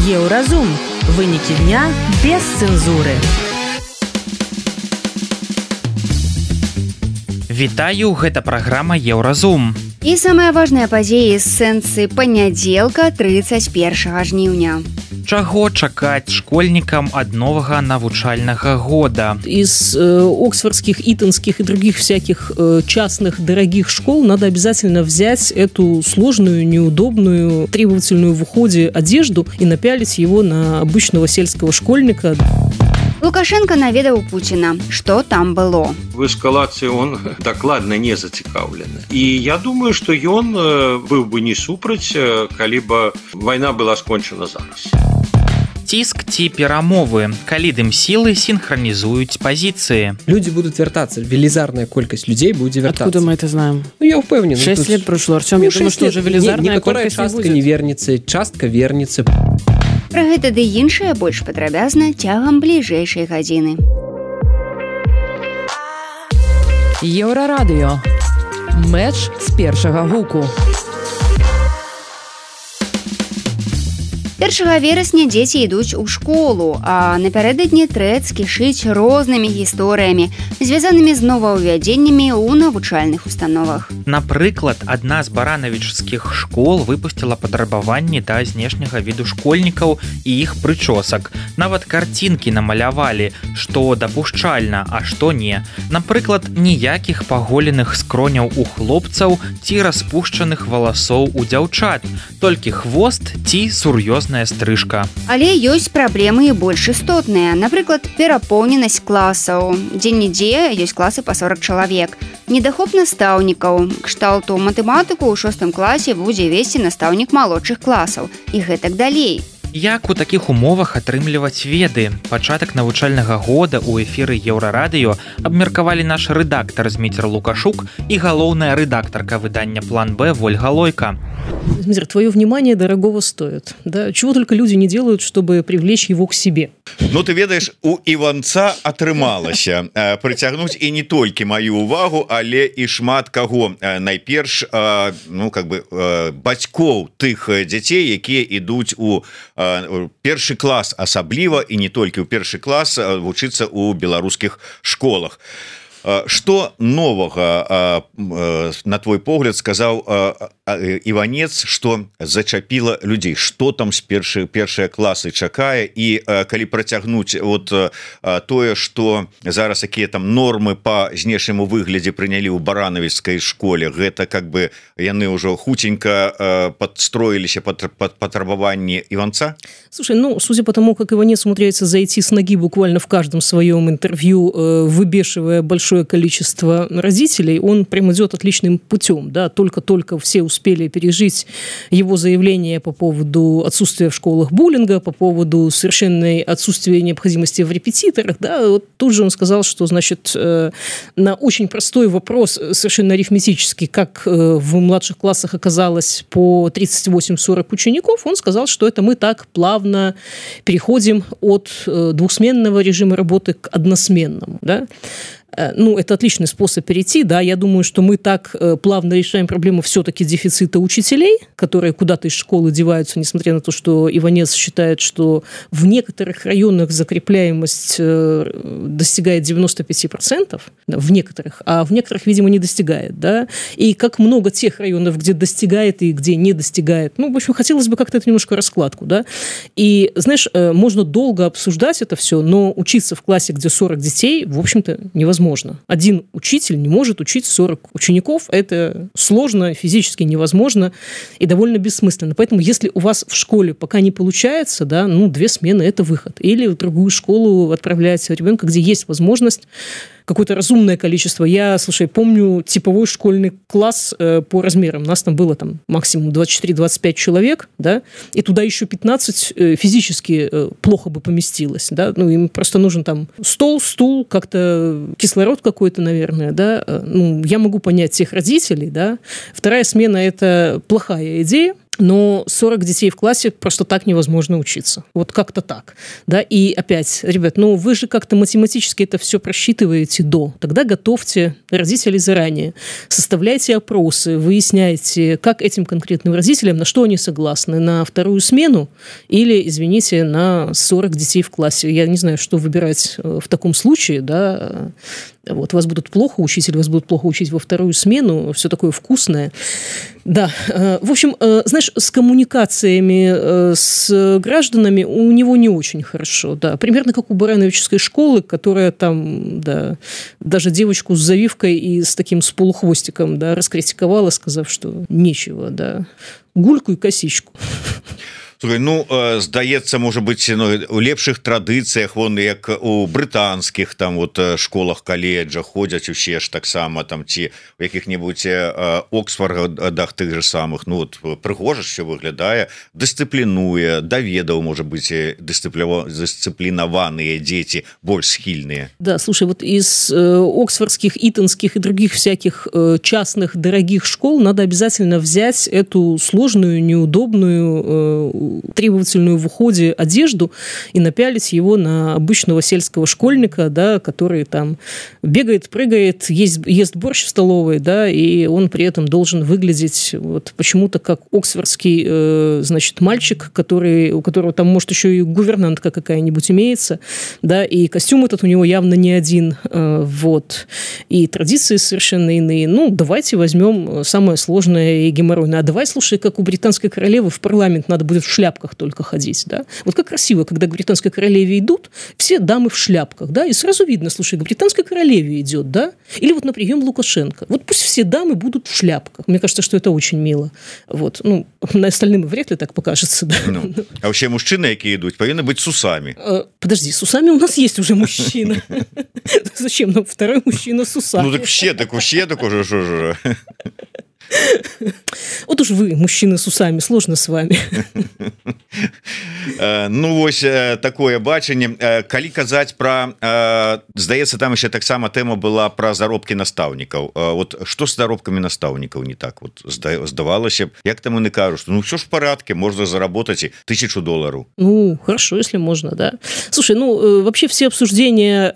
Еўразум. Вынікі дня без цэнзуры. Вітаю, гэта праграма Еўразум. І самыя важныя падзеі з сэнсы панядзелка 31 жніўня. Чаго чакаць школьникам от нового навучального года? Из оксфордских, итонских и других всяких частных дорогих школ надо обязательно взять эту сложную, неудобную, требовательную в уходе одежду и напялить его на обычного сельского школьника. Лукашенко наведаў Пуціна. Што там было? В эскалацыі он дакладна не зацікаўлены. І я думаю, што ён быў бы не супраць, калі бы вайна была скончана зараз. Ціск ці перамовы, калі дым сілы синхронизуюць позиции. Люди будут вертаться, велизарная колькость людей будет вертаться. Откуда мы это знаем? Ну, я уверен. 6 лет прошло, Артем, я думаю, что уже велизарная колькость частка не вернется, частка вернется. Пра гэта ды іншае больш падрабязна цягам бліжэйшай гадзіны. Еўрарадыё. Мэч з першага гуку. 1 верасня дзеці ідуць у школу, а напярэдадні трэц кішыць рознымі гісторыямі, звязанымі з новаўвядзеннямі ў навучальных установах. Напрыклад, адна з баранавічскіх школ выпусціла патрабаванні да знешняга віду школьнікаў і іх прычосак. Нават карцінкі намалявалі, што дапушчальна, а што не. Напрыклад, ніякіх паголеных скроняў у хлопцаў ці распушчаных валасоў у дзяўчат, толькі хвост ці сур'ёзная стрыжка. Але ёсць праблемы і больш істотныя. Напрыклад, перапоўненасць класаў. Дзе-нідзе ёсць класы па 40 чалавек. Недахоп настаўнікаў. Кшталту матэматыку ў 6 класе будзе весці настаўнік малодшых класаў. І гэтак далей. Як у такіх умовах атрымліваць веды? Пачатак навучальнага года ў эфіры Еўрарадыё абмеркавалі наш рэдактар Зміцер Лукашук і галоўная рэдактарка выдання «План Б» Вольга Лойка. Змитер, твое внимание дорогого стоит. Да? Чего только люди не делают, чтобы привлечь его к себе. Ну, ты ведаешь, у Іванца атрымалася прыцягнуць і не толькі маю увагу, але і шмат каго. Найперш, ну, как бы, бацькоў тых дзяцей, якія ідуць у першы клас асабліва і не толькі ў першы клас вучыцца ў беларускіх школах. Што новага, на твой погляд, сказаў Іванец, што зачапіла людзей? Што там з першыя класы чакае? І калі працягнуць вот тое, што зараз якія там нормы па знешняму выглядзе прынялі ў баранавіцкай школе, гэта как бы яны ўжо хутенька подстроиліся под патрабаванні Іванца? Слушай, ну, судя по тому, как Иванец умудряется зайти с ноги буквально в каждом своем интервью, выбешивая большое количество родителей, он прям идет отличным путем, да, только-только все успели пережить его заявление по поводу отсутствия в школах буллинга, по поводу совершенной отсутствия необходимости в репетиторах, да, вот тут же он сказал, что, значит, на очень простой вопрос, совершенно арифметический, как в младших классах оказалось по 38-40 учеников, он сказал, что это мы так плавно переходим от двухсменного режима работы к односменному, да. Ну, это отличный способ перейти, да, я думаю, что мы так плавно решаем проблему все-таки дефицита учителей, которые куда-то из школы деваются, несмотря на то, что Иванец считает, что в некоторых районах закрепляемость достигает 95%, да, в некоторых, а в некоторых, видимо, не достигает, да, и как много тех районов, где достигает и где не достигает, ну, в общем, хотелось бы как-то это немножко раскладку, да, и, знаешь, можно долго обсуждать это все, но учиться в классе, где 40 детей, в общем-то, невозможно. Один учитель не может учить 40 учеников. Это сложно, физически невозможно и довольно бессмысленно. Поэтому, если у вас в школе пока не получается, да, ну, 2 смены – это выход. Или в другую школу отправлять ребенка, где есть возможность какое-то разумное количество. Я, слушай, помню типовой школьный класс по размерам. У нас там было там максимум 24-25 человек, да, и туда еще 15 физически плохо бы поместилось, да, ну, им просто нужен там стол, стул, как-то кислород какой-то, наверное, да. Ну, я могу понять тех родителей, да. Вторая смена – это плохая идея. но 40 детей в классе просто так невозможно учиться. Вот как-то так. Да? И опять, ребят, ну вы же как-то математически это все просчитываете до. Тогда готовьте родителей заранее. Составляйте опросы, выясняйте, как этим конкретным родителям, на что они согласны. На вторую смену или, извините, на 40 детей в классе. Я не знаю, что выбирать в таком случае. Да? Вот, вас будут плохо учить или вас будут плохо учить во вторую смену. Все такое вкусное. Да, в общем, знаешь, с коммуникациями с гражданами у него не очень хорошо, да. Примерно как у Барановичской школы, которая там, да, даже девочку с завивкой и с таким с полухвостиком, да, раскритиковала, сказав, что нечего, да, гульку и косичку. Слухай, ну здаецца, можа быць, у лепшых традыцыях, вон як у брытанскіх там вот школах, каледжах ходзяць усе ж таксама там ці у якіх-небудзь Оксфордах тых же самых, ну вот прыгожа все выглядае, дысцыплінуе, даведаў, можа быць, дысцыплінаваныя дзеці больш схільныя. Да, слушай, вот из оксфордских, итонских и других всяких частных дорогих школ надо обязательно взять эту сложную, неудобную, требовательную в уходе одежду и напялить его на обычного сельского школьника, да, который там бегает, прыгает, ест борщ в столовой, да, и он при этом должен выглядеть вот почему-то как оксфордский, значит, мальчик, у которого там, может, еще и гувернантка какая-нибудь имеется, да, и костюм этот у него явно не один, вот, и традиции совершенно иные. Ну, давайте возьмем самое сложное и геморройное. А давай, слушай, как у британской королевы в парламент надо будет в шляпках только ходить, да. Вот как красиво, когда к британской королеве идут, все дамы в шляпках, да, и сразу видно, слушай, к британской королеве идет, да, или вот на прием Лукашенко. Вот пусть все дамы будут в шляпках. Мне кажется, что это очень мило. Вот. Ну, на остальным вряд ли так покажется, да. Ну, а вообще мужчины, какие идут, повинны быть с усами. Подожди, с усами у нас есть уже мужчина. Зачем нам второй мужчина с усами? Ну, так все так уже, что же. Вот уж вы, мужчины с усами, сложно с вами. Ну, вось такое бачанне. Калі казаць пра, здаецца, там еще таксама тэма была пра заробкі настаўнікаў. Вот што з заробкамі настаўнікаў не так? Вот здавалася б, як там яны кажуць, что ну все ж в порядке, можно заработать $1000. Ну, хорошо, если можно, да. Слушай, ну, вообще все обсуждения,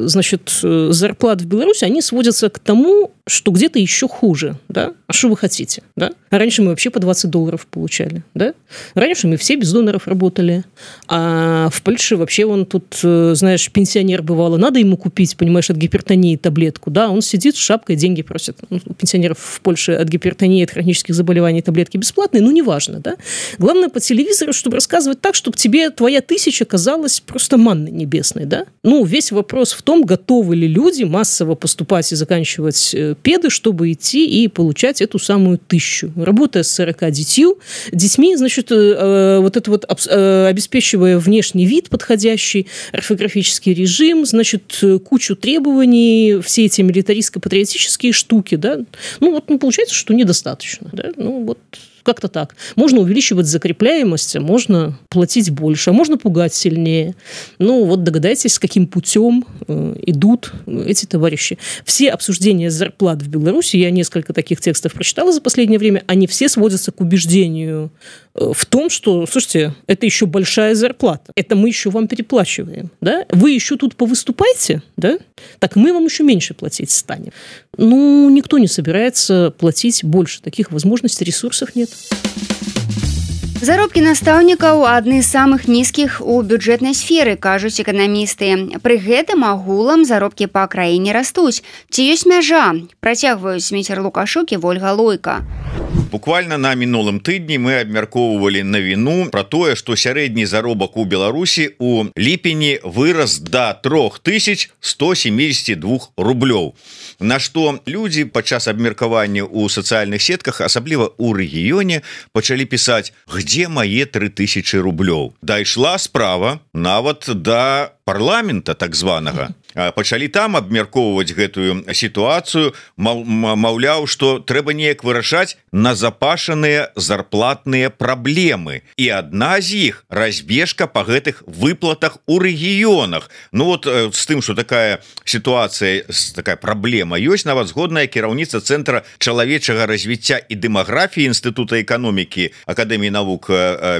значит, зарплат в Беларуси, они сводятся к тому, что где-то еще хуже, да? А что вы хотите, да? А раньше мы вообще по $20 получали, да? Раньше мы все без доноров работали. А в Польше вообще вон тут, знаешь, пенсионер бывало, надо ему купить, понимаешь, от гипертонии таблетку, да? Он сидит с шапкой, деньги просит. Ну, у пенсионеров в Польше от гипертонии, от хронических заболеваний таблетки бесплатные, ну, неважно, да? Главное по телевизору, чтобы рассказывать так, чтобы тебе твоя 1000 казалась просто манной небесной, да? Ну, весь вопрос в том, готовы ли люди массово поступать и заканчивать педы, чтобы идти и получать эту самую 1000. Работая с 40 детьми, значит, вот это вот обеспечивая внешний вид подходящий, орфографический режим, значит, кучу требований, все эти милитаристско-патриотические штуки, да, ну, вот ну, получается, что недостаточно, да, ну, вот как-то так. Можно увеличивать закрепляемость, а можно платить больше, а можно пугать сильнее. Ну, вот догадайтесь, с каким путем идут эти товарищи. Все обсуждения зарплат в Беларуси, я несколько таких текстов прочитала за последнее время, они все сводятся к убеждению в том, что, слушайте, это еще большая зарплата, это мы еще вам переплачиваем, да? Вы еще тут повыступаете, да? Так мы вам еще меньше платить станем. Ну, никто не собирается платить больше. Таких возможностей, ресурсов нет. Заробкі настаўнікаў адны з самых нізкіх у бюджэтнай сферы, кажуць эканамісты. Пры гэтым агулам заробкі па краіне растуць. Ці ёсць мяжа? Працягваюць Зміцер Лукашук і Вольга Лойка. Буквально на мінулым тыдні мы абмяркоўвалі навіну пра тое, што сярэдні заробак у Беларусі у ліпені вырас да 3172 рублёў. На што людзі падчас абмеркавання ў сацыяльных сетках, асабліва ў рэгіёне, пачалі пісаць: «Где мои 3000 рублёў?» Дайшла справа нават да парламента так званага. пачалі там абмяркоўваць гэтую сітуацыю, маўляў, што трэба неяк вырашаць назапашаныя зарплатныя праблемы. І адна з іх разбежка па гэтых выплатах у рэгіёнах. Ну вот з тым, што такая сітуацыя, такая праблема ёсць, нават згодная кіраўніца Цэнтра чалавечага развіцця і дэмаграфіі Інстытута эканомікі Акадэміі навук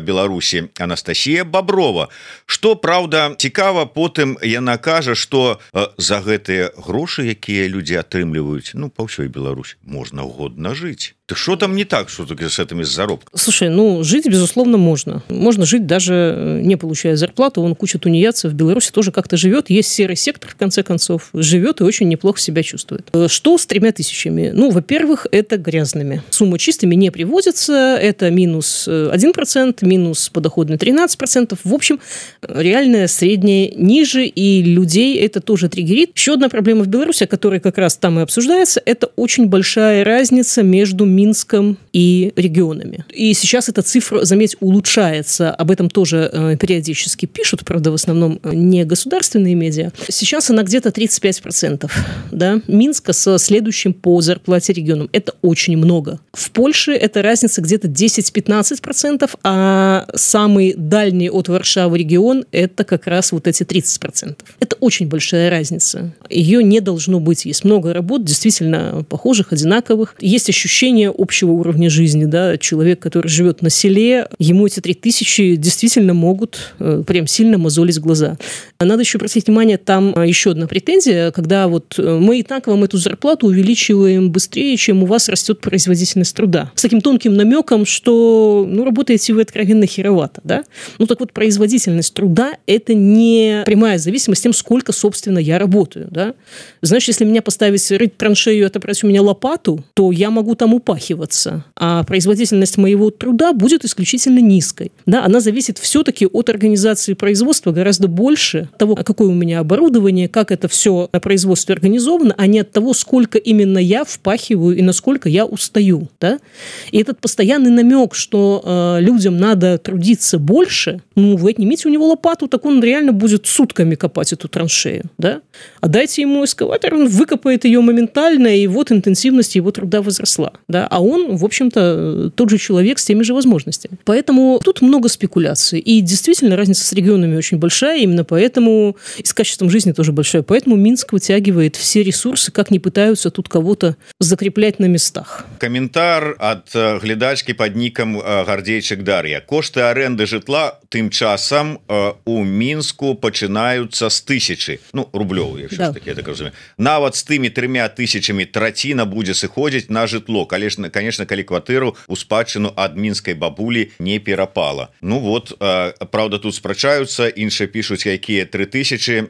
Беларусі Анастасія Баброва. Што, праўда, цікава, потым яна кажа, што за гэтыя грошы, якія людзі атрымліваюць, ну, па ўсёй Беларусі, можна годна жыць. Так что там не так, что таки с этими заработками? Слушай, ну, жить, безусловно, можно. Можно жить, даже не получая зарплату. Вон куча тунеядцев в Беларуси тоже как-то живет. Есть серый сектор, в конце концов. Живет и очень неплохо себя чувствует. Что с 3000? Ну, во-первых, это грязными. Сумма чистыми не приводится. Это минус 1%, минус подоходный 13%. В общем, реальное среднее ниже. И людей это тоже триггерит. Еще одна проблема в Беларуси, которая как раз там и обсуждается, это очень большая разница между Минском и регионами. И сейчас эта цифра, заметь, улучшается. Об этом тоже периодически пишут, правда, в основном не государственные медиа. Сейчас она где-то 35%. Да? Минска со следующим по зарплате регионом. Это очень много. В Польше эта разница где-то 10-15%, а самый дальний от Варшавы регион – это как раз вот эти 30%. Это очень большая разница. Ее не должно быть. Есть много работ, действительно похожих, одинаковых. Есть ощущение общего уровня жизни, да, человек, который живет на селе, ему эти 3000 действительно могут прям сильно мозолить глаза. Надо еще обратить внимание, там еще одна претензия, когда вот мы и так вам эту зарплату увеличиваем быстрее, чем у вас растет производительность труда. С таким тонким намеком, что, ну, работаете вы откровенно херовато, да? Ну, так вот, производительность труда – это не прямая зависимость тем, сколько, собственно, я работаю, да? Знаешь, если меня поставить рыть траншею и отобрать у меня лопату, то я могу там упасть, а производительность моего труда будет исключительно низкой. Да, она зависит все-таки от организации производства гораздо больше от того, какое у меня оборудование, как это все на производстве организовано, а не от того, сколько именно я впахиваю и насколько я устаю. Да? И этот постоянный намек, что людям надо трудиться больше, ну, вы отнимите у него лопату, так он реально будет сутками копать эту траншею. Да? А дайте ему эскаватор, он выкопает ее моментально, и вот интенсивность его труда возросла. Да? А он, в общем-то, тот же человек с теми же возможностями. Поэтому тут много спекуляций. И действительно разница с регионами очень большая, именно поэтому и с качеством жизни тоже большая. Поэтому Минск вытягивает все ресурсы, как не пытаются тут кого-то закреплять на местах. Комментар от глядачки под ником Гардейчик Дарья. Кошты аренды житла тым часам у Мінску пачынаюцца з 1000, ну, рублёў, якщо да. Такі, я так разумею. Нават з тымі 3000 траціна будзе сыходзіць на жытло. Конечно, калі кватэру у спадчыну ад мінскай бабулі не перапала. Ну вот, правда, тут спрачаюцца, іншыя пішуць, якія 3000,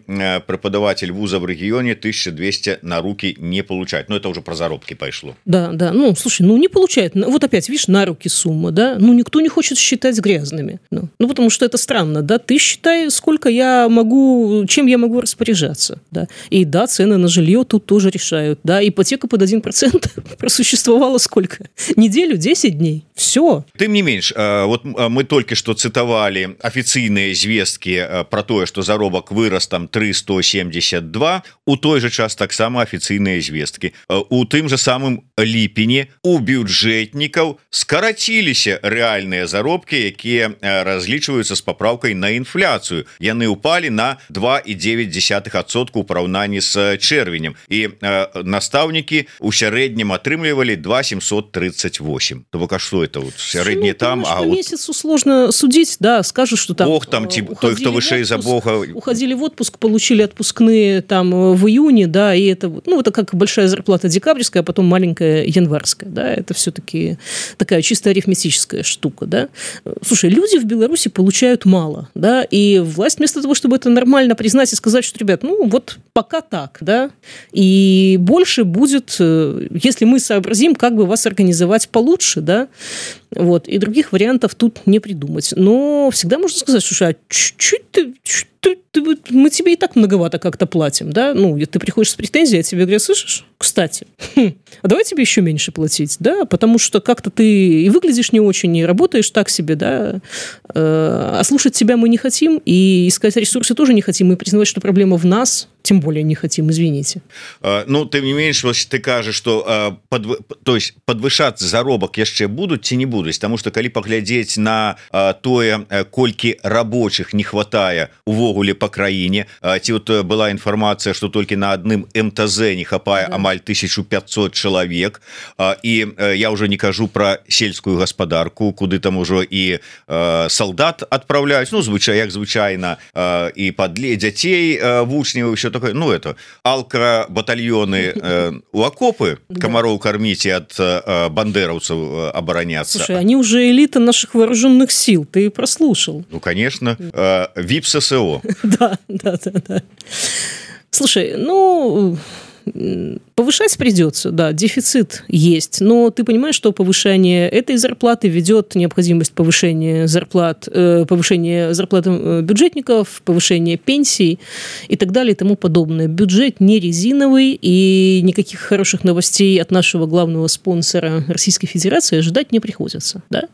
преподаватель вуза в регионе 1200 на руки не получает. Ну, это уже про заработки пошло. Да, да. Ну, слушай, ну не получает. Вот опять, видишь, на руки сумма, да? Ну, никто не хочет считать грязными. Ну, потому что это странно, да? Ты считай, сколько я могу, чем я могу распоряжаться, да? И да, цены на жилье тут тоже решают, да? Ипотека под 1% просуществовала сколько? Неделю, 10 дней. Все. Тым не менш, вот мы только что цитовали офицыйныя звесткі про тое, что заробак вырос там 372, у той же час таксама офіцыйныя звесткі. У тым же самым ліпені у бюджэтнікаў скараціліся рэальныя заробкі, якія разлічваюцца з папраўкай на інфляцыю. Яны упалі на 2,9% у параўнанні з чэрвенем. І настаўнікі у сярэднім атрымлівалі 2,738. То бок, а что это? Вот сярэдні там, а вот... месяцу сложно судить, да, скажешь, что там... Бог там, той, кто вышей за Бога... Уходили в отпуск, получили отпускные там в июне, да, и это, ну, это как большая зарплата декабрьская, а потом маленькая январская, да, это все-таки такая чисто арифметическая штука, да. Слушай, люди в Беларуси получают мало, да, и власть вместо того, чтобы это нормально признать и сказать, что, ребят, ну, вот пока так, да, и больше будет, если мы сообразим, как бы вас организовать получше, да, вот, и других вариантов тут не придумать. Но всегда можно сказать, слушай, а чуть-чуть мы тебе и так многовато как-то платим, да, ну, ты приходишь с претензией, а тебе говорят, слышишь, кстати, а давай тебе еще меньше платить, да, потому что как-то ты и выглядишь не очень, и работаешь так себе, да, а слушать тебя мы не хотим, и искать ресурсы тоже не хотим, и признавать, что проблема в нас, тем более не хотим, извините. Ну, тым не менш, ты кажаш, что подвышацца заробак яшчэ будуць ці не будуць, потому что калі паглядзець на тое, колькі рабочих не хватае увогуле по краіне, ці вот была інфармацыя, что толькі на адным МТЗ не хапае амаль 1500 чалавек, і я уже не кажу про сельскую гаспадарку, куды там ужо і солдат адпраўляюць, ну, як звычайна, і падле дзяцей вучняў, еще такое, ну, это алкра-батальоны у окопы комаров кормить и от бандеровцев обороняться. Слушай, они уже элита наших вооруженных сил, ты прослушал. Ну, конечно, ВИП-ССО. Да. Слушай, ну... Повышать придется, да, дефицит есть, но ты понимаешь, что повышение этой зарплаты ведет необходимость повышения зарплат бюджетников, повышения пенсий и так далее и тому подобное. Бюджет не резиновый, и никаких хороших новостей от нашего главного спонсора Российской Федерации ожидать не приходится, да?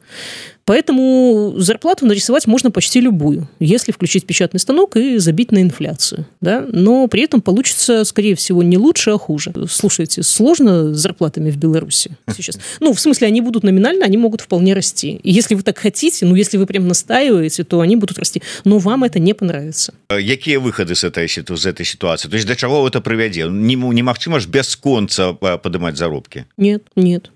Поэтому зарплату нарисовать можно почти любую, если включить печатный станок и забить на инфляцию, да? Но при этом получится, скорее всего, не лучше, а хуже. Слушайте, сложно с зарплатами в Беларуси сейчас. Ну, в смысле, они будут номинально, они могут вполне расти. И если вы так хотите, ну, если вы прям настаиваете, то они будут расти. Но вам это не понравится. Какие выходы с этой ситуации? То есть до чего это приведет? Немагчыма ж без конца поднимать заработки? Нет.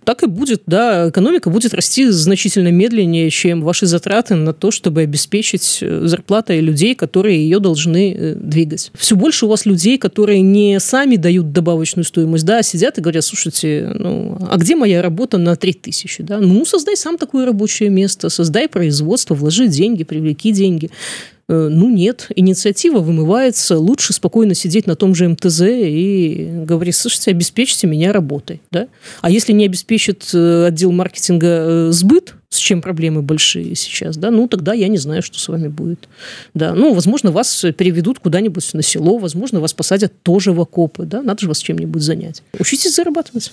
Так и будет, да. Экономика будет расти значительно медленнее, чем ваши затраты на то, чтобы обеспечить зарплатой людей, которые ее должны двигать. Все больше у вас людей, которые не сами дают добавочную стоимость, да, сидят и говорят, слушайте, ну, а где моя работа на 3000, да? Ну, создай сам такое рабочее место, создай производство, вложи деньги, привлеки деньги. Ну, нет, инициатива вымывается, лучше спокойно сидеть на том же МТЗ и говорить, слушайте, обеспечьте меня работой, да? А если не обеспечит отдел маркетинга сбыт, с чем проблемы большие сейчас, да, ну, тогда я не знаю, что с вами будет, да, ну, возможно, вас переведут куда-нибудь на село, возможно, вас посадят тоже в окопы, да, надо же вас чем-нибудь занять. Учитесь зарабатывать.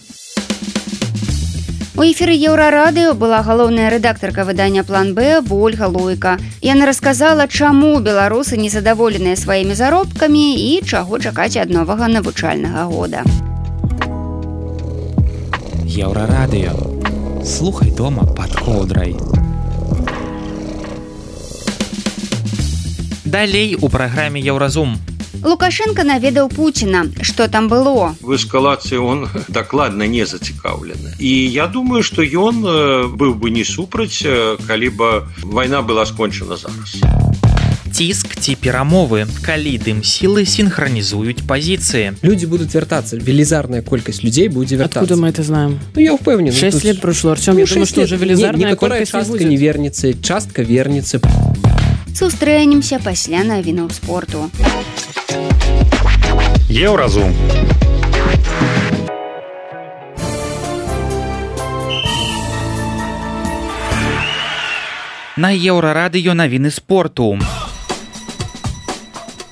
У эфіры Еўрарадыё была галоўная рэдактарка выдання «План Б» Ольга Луйка. Яна расказала, чаму беларусы незадаволеныя сваімі заробкамі і чаго чакаць ад новага навучальнага года. Еўрарадыё. Слухай дома пад коўдрай. Далей у праграме «Еўразум». Лукашенко наведаў Пуціна. Што там было? В эскалацыі он дакладна не зацікаўлены. І я думаю, што ён быў бы не супраць, калі бы вайна была скончана зараз. Ціск ці перамовы, калі дым-сілы синхронизуют позиции. Люди будут вертаться. Велизарная колькость людей будет вертаться. Откуда мы это знаем? Ну, я уверен. 6 лет прошло, Артем. Я думаю, что уже велизарная колькость частка будет. не вернется, частка вернется. Сустрэнемся пасля навінаў спорту. Еўразум. На Еўрарадыё навіны спорту.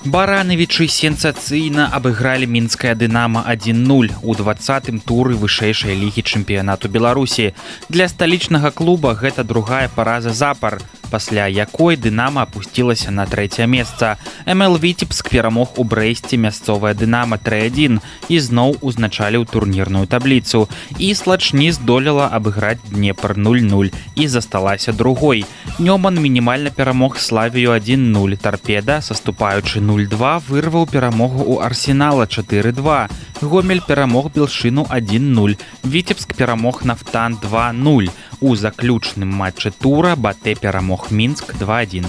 Баранавічы сенсацыйна абыгралі мінскае «Дынамо» 1-0 у 20-м туры вышэйшай лігі чэмпіянату Беларусі. Для сталічнага клуба гэта другая параза запар, пасля якой «Дынамо» апусцілася на 3-е месца. МЛ Віцебск перамог у Брэсце мясцовае «Дынамо» 3-1 і зноў узначаліў турнірную табліцу. І Слач не здолела абыграць Днепр 0-0 і засталася другой. Нёман мінімальна перамог Славію 1-0. Тарпеда, саступаючы 0-2, вырваў перамогу ў Арсенала 4-2. Гомель перамог Белшыну 1-0. Віцебск перамог Нафтан 2-0. У заключным матчы тура Батэ перамог Мінск 2-1.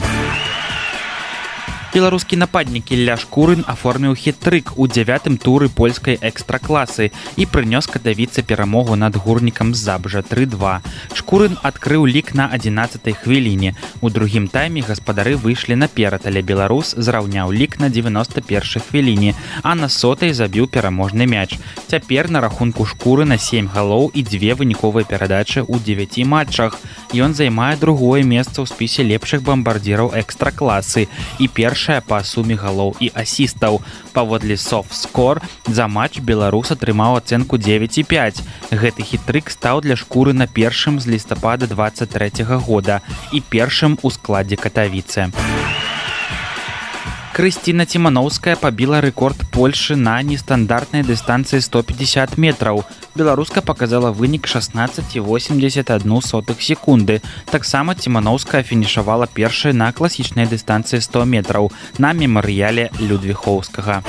Беларускі нападнік Ілля Шкурын аформіў хет-трык у 9-м туры польскай экстракласы і прынёс катавіцы перамогу над Гурнікам з Забжа 3-2. Шкурын адкрыў лік на 11-й хвіліне. У другім тайме гаспадары выйшлі наперад, але беларус зраўняў лік на 91-й хвіліне, а на 100-й забіў пераможны мяч. Цяпер на рахунку Шкурына 7 галоў і 2 выніковыя перадачы ў 9 матчах. Ён займае другое месца ў спісе лепшых бамбардзіраў экстра-класы і першае па суме галоў і асістаў. Паводле SoftScore за матч беларус атрымаў ацэнку 9,5. Гэты хітрык стаў для шкуры на першым з лістапада 23 года і першым у складзе Катавіцы. Крысціна Ціманоўская пабіла рэкорд Польшы на нестандартнай дыстанцыі 150 метраў. Беларуска паказала вынік 16,81 секунды. Таксама Ціманоўская фінішавала першай на класічнай дыстанцыі 100 метраў на мемарыяле Людвіхоўскага.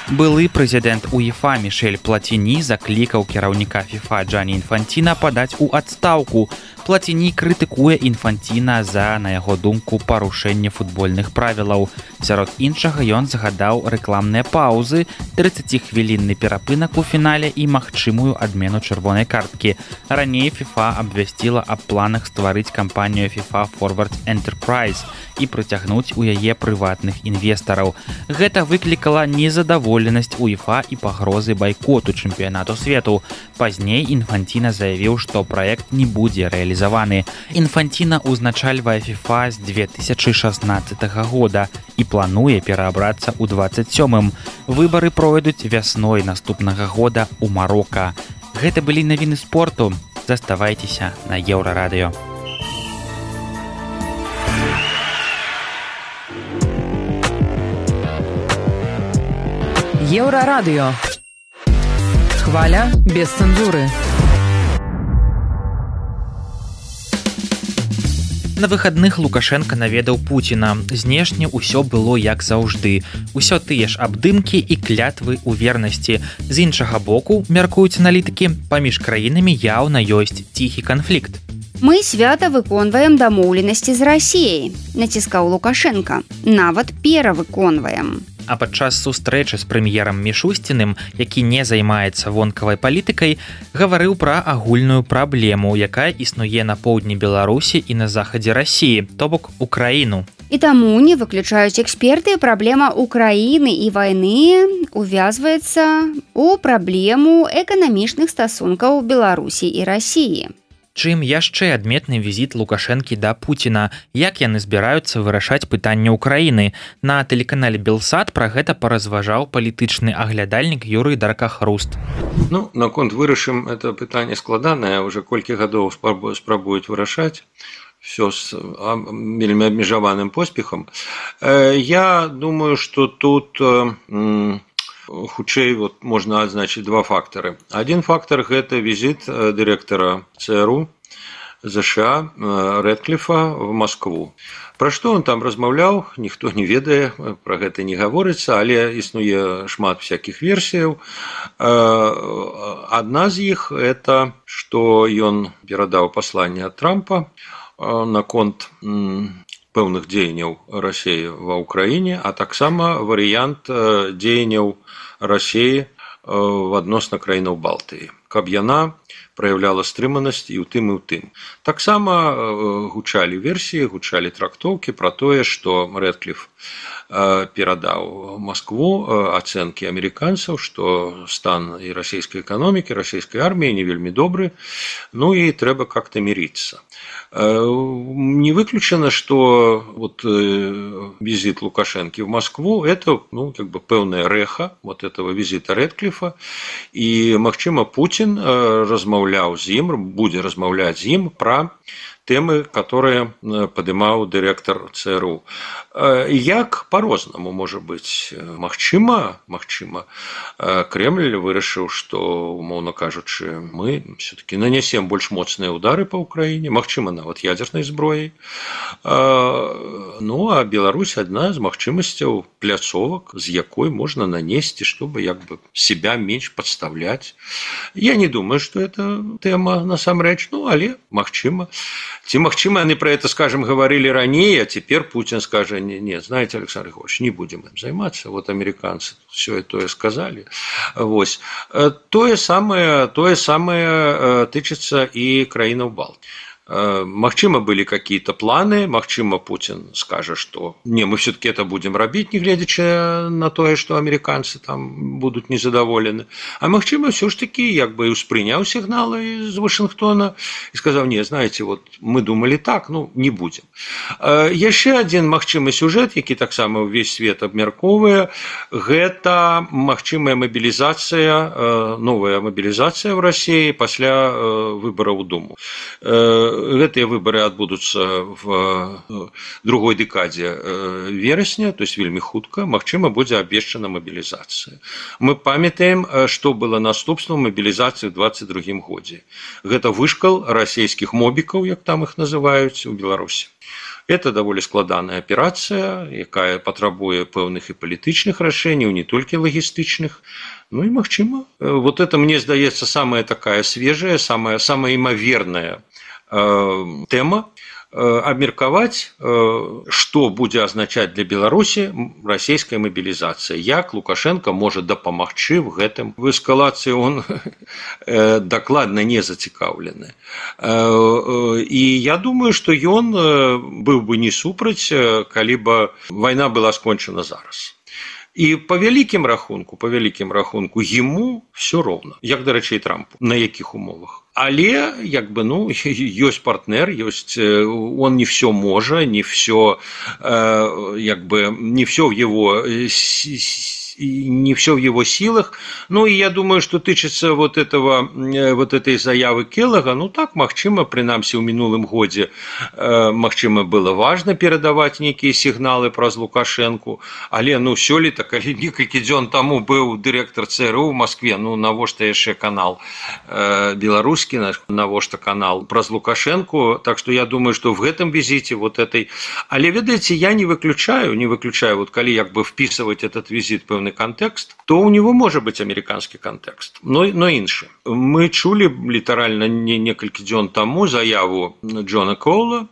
Былы прэзідэнт УЕФА Мішэль Платіні заклікаў кіраўніка ФІФА Джані Інфанціна падаць у адстаўку. Платіні крытыкуе Інфанціна за, на яго думку, парушэнне футбольных правілаў. Сярод іншага ён загадаў рэкламныя паўзы, 30-хвілінны перапынак у фінале і магчымую адмену чырвонай карткі. Раней ФІФА абвясціла аб планах стварыць кампанію FIFA Forward Enterprise і прыцягнуць у яе прыватных інвестараў. Гэта выклікала незадаволенасць УЕФА і пагрозы байкоту чэмпіянату свету. Пазней Інфанціна заявіў, што праект не будзе рэалізаваны. Інфанціна ўзначальвае FIFA з 2016 года і плануе пераабрацца ў 27-м. Выбары пройдуць вясной наступнага года ў Марока. Гэта былі навіны спорту. Заставайцеся на Еўрарадыё. Еўрарадыё. Хваля без цэнзуры. На выхадных Лукашенко наведаў Пуціна. Знешне ўсё было як заўжды. Усё тыя ж абдымкі і клятвы ў вернасці. З іншага боку, мяркуюць аналітыкі, паміж краінамі яўна ёсць ціхі канфлікт. Мы свята выконваем дамоўленасці з Расіяй, націскаў Лукашенко. Нават перавыконваем. А падчас сустрэчы з прэм'ерам Мішусціным, які не займаецца вонкавай палітыкай, гаварыў пра агульную праблему, якая існуе на поўдні Беларусі і на захадзе Расіі, то бок Украіну. І таму, не выключаюць эксперты, праблема Украіны і вайны увязваецца ў праблему эканамічных стасункаў Беларусі і Расіі. Чым яшчэ адметны візіт Лукашэнкі да Пуціна, як яны збіраюцца вырашаць пытанне Украіны. На тэлеканале Белсат пра гэта паразважаў палітычны аглядальнік Юрый Даркахруст. Ну, наконт вырашым, это пытанне складанае, уже колькі гадоў спрабуюць вырашаць. Все с вельмі абмежаваным поспехам. Я думаю, что тут хутчэй можна адзначыць два фактары. Адзін фактар – гэта візіт дырэктара ЦРУ США Рэдкліфа в Маскву. Пра што он там размаўляў, ніхто не ведае, пра гэта не гаворыцца, але існуе шмат всякіх версіяў. Адна з іх – это, што ён перадаў пасланне ад Трампа наконт пэўных дзеянняў Расіі ва ўкраіне, а таксама варыянт дзеянняў Расіі адносна краінаў Балтыі, каб яна праяўляла стрыманасць і ў тым, і ў тым. Таксама гучалі версіі, гучалі трактоўкі пра тое, што Рэдкліф перадаў Маскву ацэнкі амерыканцаў, што стан і расійскай эканомікі, расійскай арміі не вельмі добры, ну і трэба как-то мириться. Не выключено, что визит Лукашенко в Москву – это пэўная рэха этого визита Рэдкліфа, і, магчыма, Путин размаўляў з ім, будзе размаўляць з ім пра тэмы, которые падымаў дырэктар ЦРУ. Як по-рознаму можа быць? Магчыма, Кремль вырашыў, што, умоўна кажучы, мы все-таки нанесем больш моцныя удары по Украіне, магчыма, нават ядзернай зброяй. Ну, а Беларусь адна з магчымасцяў пляцовак, з якой можна нанесці, чтобы себя менш подставлять. Я не думаю, что это тема насамрэч, але магчыма. Ці магчыма, яны про это, скажем, говорили ранее, а теперь Путин скажет: нет, знаете, Александр Григорьевич, не будем им заниматься, американцы все это сказали. То самое тычыцца і краінаў Балтыі. Магчыма, былі какие-то планы, магчыма, Путин скажа, что не, мы все-таки это будем рабіць, нягледзячы на тое, что американцы там будут незадаволены. А магчыма, все ж таки як бы успрыняў сигналы из Вашингтона и сказал: не, знаете, вот мы думали так, ну не будем. Яшчэ один магчымы сюжет, які таксама ўвесь свет абмяркоўвае, гэта магчымая мобілізацыя, новая мобілізацыя в России пасля выбораў у Думу. Гэтыя выборы адбудуцца в другой декаде верасня, то есть вельмі хутка, магчыма, будзе абвешчана мобілізацыя. Мы памятаем, што было наступствам мобілізацыі ў 22 годзе. Гэта вышкал расійскіх мобікаў, як там іх называюць, у Беларусі. Это даволі складаная аперацыя, якая патрабуе пэўных і палітычных рашэнняў, не толькі лагістычных. Ну і магчыма. Вот это, мне здаецца, самая такая свежая, самая імаверная тэма, абмеркаваць, што будзе азначаць для Беларусі расійская мобілізацыя, як Лукашенко можа дапамагчы в гэтым. В эскалацыі он дакладна не зацікаўлены. І я думаю, што ён быў бы не супраць, калі бы вайна была скончана зараз. І по вялікім рахунку ему все роўна, як, дарэчы, і Трампу, на якіх умовах. Але як бы, ну, ёсць партнер, ёсць, он не все можа, не все, як бы, не все в его силах. Ну и я думаю, что тычыцца вот этой заявы Келлага, ну так, магчыма, прынамсі ў мінулым годзе, магчыма, было важна перадаваць нейкія сігналы праз Лукашэнку, але, ну, сёлета, калі некалькі дзён таму быў дырэктар ЦРУ в Москве, ну, навошта яшчэ канал беларускі, навошта канал праз Лукашэнку, так что я думаю, что в гэтым визите вот этой, але, ведаеце, я не выключаю, вот калі як бы вписывать этот визит пэўны контекст, то у него может быть американский контекст, но іншы. Мы чулі літаральна некалькі дзён таму заяву Джона Коула,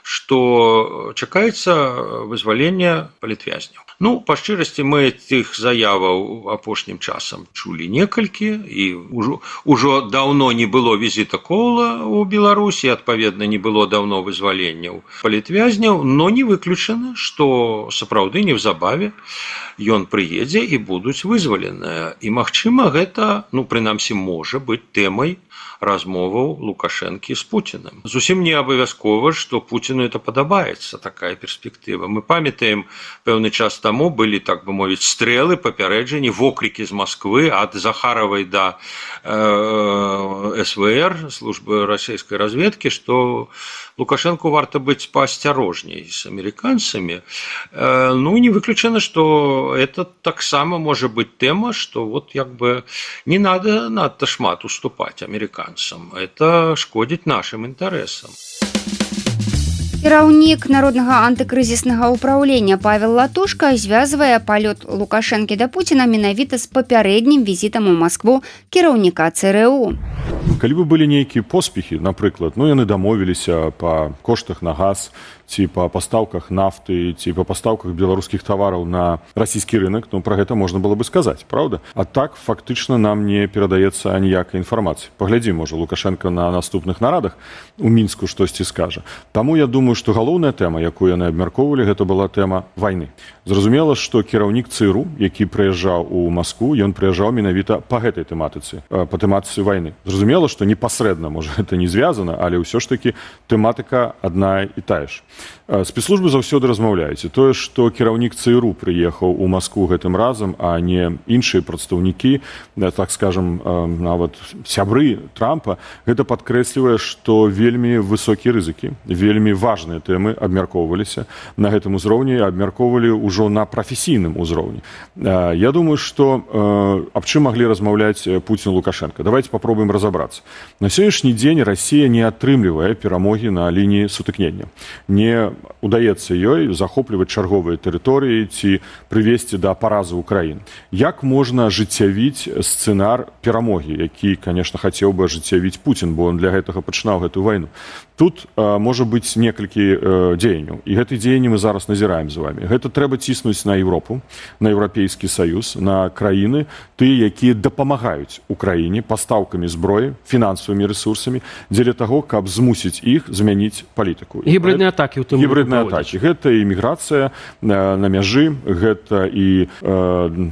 что чакаецца вызвалення палітвязняў. Ну, па шчырасці, мы тых заяваў апошнім часам чулі некалькі, і ўжо даўно не было візіта Коула ў Беларусі, адпаведна, не было даўно вызваленняў палітвязняў, но не выключана, што сапраўды неўзабаве ён прыедзе і будуць вызваленыя. І, магчыма, гэта, ну, прынамсі, можа быць тэмай размоваў Лукашэнкі з Путіным. Зусім не абавязкова, што Путіну это падабаецца, такая перспектыва. Мы памятаем, пэўны час таму былі, так бы мовіць, стрэлы, папярэджанні, вокрыкі з Москвы ад Захаравай да СВР, службы расійскай разведкі, што Лукашэнку варта быць поасцярожней з амерыканцамі. Ну, не выключана, што это таксама можа быць тэма, што вот як бы не надо надта шмат уступаць амерыканцам. Это шкодзіць нашим інтарэсам. Кіраўнік народнага антыкрызіснага ўпраўлення Павел Латушка звязвае палёт Лукашэнкі да Пуціна менавіта з папярэднім візітам у Маскву кіраўніка ЦРУ. Калі бы былі нейкія поспехі, напрыклад, ну яны дамовіліся па коштах на газ, ці па пастаўках нафты, ці па пастаўках беларускіх тавараў на расійскі рынок, ну пра гэта можна было бы сказаць, правда? А так фактычна нам не перадаецца аніякай інфармацыі. Паглядзім, можа, Лукашенко на наступных нарадах у Мінску штосьці скажа. Таму я думаю, што галоўная тэма, якую яны абмяркоўвалі, гэта была тэма вайны. Зразумела, што кіраўнік ЦРУ, які прыязджаў у Маскву, ён прыязджаў менавіта па гэтай тэматыцы, па тэматыцы вайны. Зразумела, што непасрэдна, можа, гэта не звязана, але ўсё ж такі тэматыка адна і тая ж. Спецслужбы заўсёды размаўляюць. І тое, што кіраўнік ЦРУ прыехаў у Маскву гэтым разам, а не іншыя прадстаўнікі, так скажам, нават сябры Трампа, гэта падкрэслівае, што вельмі высокія рызыкі, вельмі важныя тэмы абмяркоўваліся на гэтым узроўні, абмяркоўвалі ўжо на прафесійным узроўні. Я думаю, што аб чым маглі размаўляць Пуцін і Лукашенко. Давайте попробуем разобраться. На сённяшні дзень Расія не атрымлівае перамогі на лініі сутыкнення. Не удаецца ёй захопліваць чарговыя тэрыторыі ці прывесці да паразы ўкраін. Як можна ажыццявіць сцэнар перамогі, які, конечно, хацеў бы ажыццявіць Пуцін, бо он для гэтага пачынаў гэтую вайну? тут можа быць некалькі дзеянняў, і гэты дзеянні мы зараз назіраем з вами. Гэта трэба ціснуць на Европу, на Еўрапейскі саюз, на краіны, тыя, якія дапамагаюць Украіне пастаўкамі зброі, фінансавымі ресурсамі, дзеля таго, каб змусіць іх змяніць палітыку. Гібридныя атакі ў тым гібридныя атакі. Гэта і міграцыя на мяжы, гэта і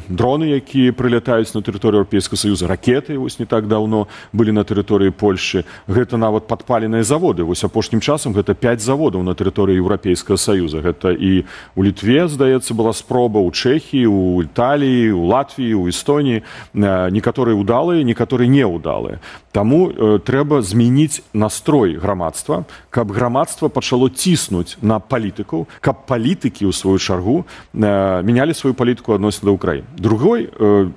дроны, якія прылятаюць на тэрыторыю Еўрапейскага саюза, ракеты, вось не так даўно былі на тэрыторыі Польшы, гэта нават падпаленыя заводы. Вось апошнім часам гэта 5 заводаў на тэрыторыі Еўрапейскага саюза. Гэта і у Літве, здаецца, была спроба, у Чэхіі, у Італіі, у Латвіі, у Эстоніі. Некаторыя ўдалыя, некаторыя неўдалыя. Таму трэба змяніць настрой грамадства, каб грамадства пачало ціснуць на палітыкаў, каб палітыкі, у сваю чаргу, мянялі сваю палітыку адносна да Украіны. Другой,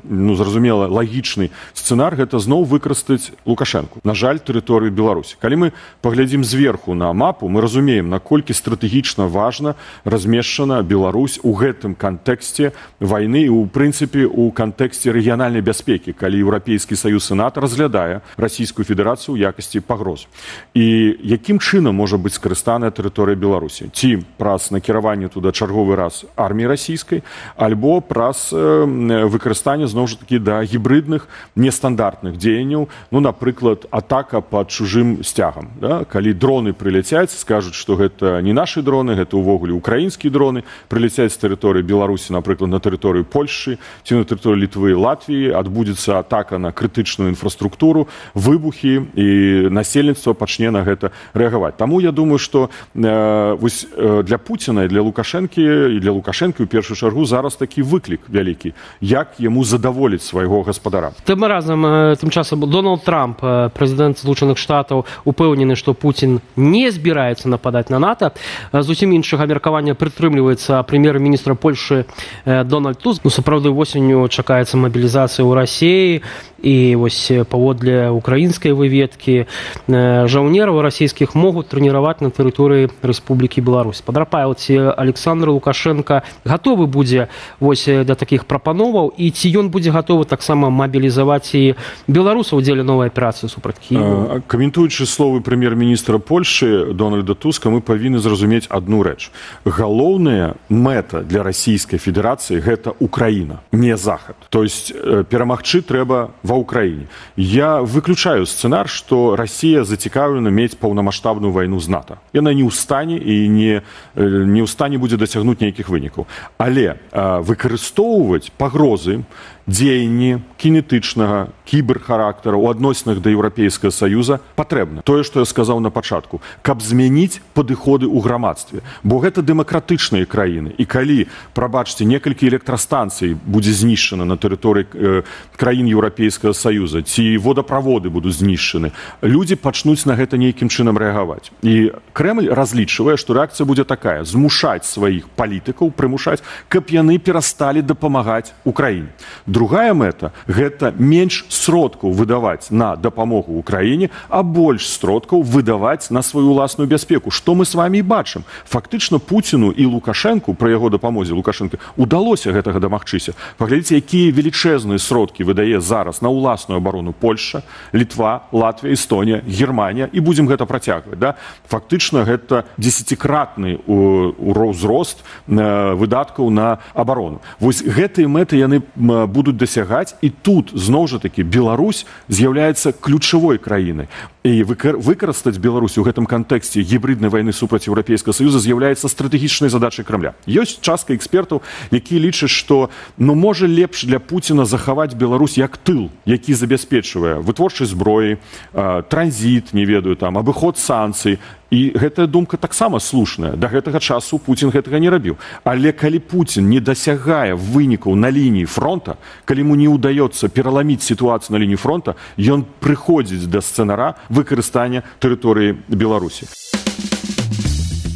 зразумела, лагічны сцэнар – гэта зноў выкарыстаць Лукашэнку. На жаль, тэрыторыю Беларусі. Калі мы паглядзім зверху на мапу, мы разумеем, наколькі стратэгічна важна размешчана Беларусь у гэтым кантэксце вайны і, у прынцыпе, у кантэксце рэгіянальнай бяспекі, калі Еўрапейскі саюз і НАТО разглядае Расійскую Федэрацыю ў якасці пагроз. І якім чынам можа быць скарыстаная тэрыторыя Беларусі? Ці праз накіраванне туда чарговы раз арміі расійскай, альбо праз выкарыстанне, зноў жа такі, да гібридных, нестандартных дзеянняў, напрыклад, атака пад чужым сцягам. Да? Калі дроны прыляцяць, скажуць, што гэта не нашы дроны, гэта ўвогуле украінскія дроны, прыляцяць з тэрыторыі Беларусі, напрыклад, на тэрыторыю Польшы, ці на тэрыторыю Літвы, Латвіі, адбудзецца атака на крытычную інфраструктуру, выбухі, і насельніцтва пачне на гэта рэагаваць. Таму я думаю, што для Пуціна і для Лукашэнкі, і для Лукашэнкі, у першую чаргу, зараз такі выклік вялікі, як яму задаволіць свайго гаспадара. Тым часам Дональд Трамп, прэзідэнт Злучаных Штатаў, упэўнены, што Пуцін не збіраецца нападаць на НАТО. Зусім іншага меркавання прытрымліваецца прэм'ер-міністра Польшы Дональд Туск. Сапраўды, восенню чакаецца мабілізацыя ў Расіі, і вось паводле украінскай выведкі жаўнераў расійскіх могуць трэніраваць на тэрыторыі Рэспублікі Беларусь. Падрапаяў, ці Александр Лукашенко гатовы будзе вось да такіх прапановаў, і ці ён будзе гатовы таксама мабілізаваць і беларусаў у дзеле новай аперацыі супраць Кіева? Каментуючы словы прэм'ер-міністра Польшы Дональда Туска, мы павінны зразумець адну рэч. Галоўная мэта для Расійскай Федэрацыі – гэта Украіна, не Захад. То есть перамагчы трэба ва Украине. Я выключаю сцэнар, што Расія зацікаўлена мець паўнамаштабную вайну з НАТО. Яна не ў стане і не ў стане будзе дасягнуць нейкіх вынікаў. Але выкарыстоўваць пагрозы, дзеянні кінетычнага, кіберхарактара ў адносінах да Еўрапейскага саюза патрэбна. Тое, што я сказаў на пачатку, каб змяніць падыходы ў грамадстве. Бо гэта дэмакратычныя краіны. І калі, прабачце, некалькі электрастанцый будзе знішчана на тэрыторыі краін Еўрапейскага саюза, ці водаправоды будуць знішчаны, людзі пачнуць на гэта нейкім чынам рэагаваць. І Крэмль разлічвае, што рэакцыя будзе такая: змушаць сваіх палітыкаў, прымушаць, каб яны перасталі дапамагаць Украіне. Другая мэта – гэта менш сродкаў выдаваць на дапамогу Украіне, а больш сродкаў выдаваць на сваю ўласную бяспеку. Што мы з вамі і бачым. Фактычна Пуціну і Лукашэнку, пры яго дапамозе Лукашэнка, удалося гэтага дамагчыся. Паглядзіце, якія велічэзныя сродкі выдае зараз на ўласную абарону Польша, Літва, Латвія, Эстонія, Германія, і будзем гэта працягваць. Да? Фактычна гэта 10-кратны ўзрост выдаткаў на абарону. Вось гэтыя мэты яны будуць дасягаць, і тут, зноў жа такі, Беларусь з'яўляецца ключавой краінай. І выкарыстаць Беларусь у гэтым кантэксце гібриднай вайны супраць Еўрапейскага саюза з'яўляецца стратэгічнай задачай Крамля. Ёсць частка экспертаў, якія лічаць, што можа лепш для Пуціна захаваць Беларусь як тыл, які забяспечвае вытворчасць зброі, транзіт, не ведаю, там, абыход санкцый. І гэтая думка таксама слушная. Да гэтага часу Пуцін гэтага не рабіў. Але калі Пуцін не дасягае вынікаў на лініі фронта, калі ему не ўдаецца пераламіць сітуацыю на лініі фронта, ён прыходзіць да сцэнара выкарыстання тэрыторыі Беларусі.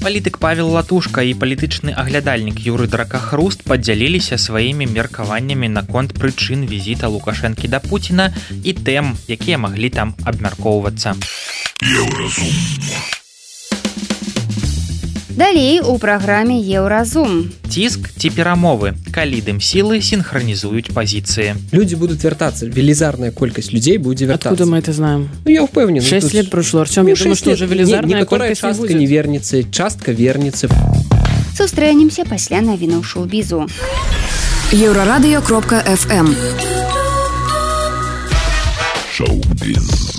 Палітык Павел Латушка і палітычны аглядальнік Юрый Дракахруст падзяліліся сваімі меркаваннямі наконт прычын візіта Лукашэнкі да Пуціна і тэм, якія маглі там абмяркоўвацца. Далей у праграме Еўразум. Ціск ці перамовы, калі дым-сілы синхронизуют позиции. Люди будут вертаться, велизарная колькость людей будет вертаться. Откуда мы это знаем? Ну, я впевнен. 6 лет прошло, Артем, я думаю, что уже велизарная колькость не будет. Частка не вернется, частка вернется. Сустрэнемся пасля навінаў шоу-бізу. Еврорадио.fm. Шоу-біз.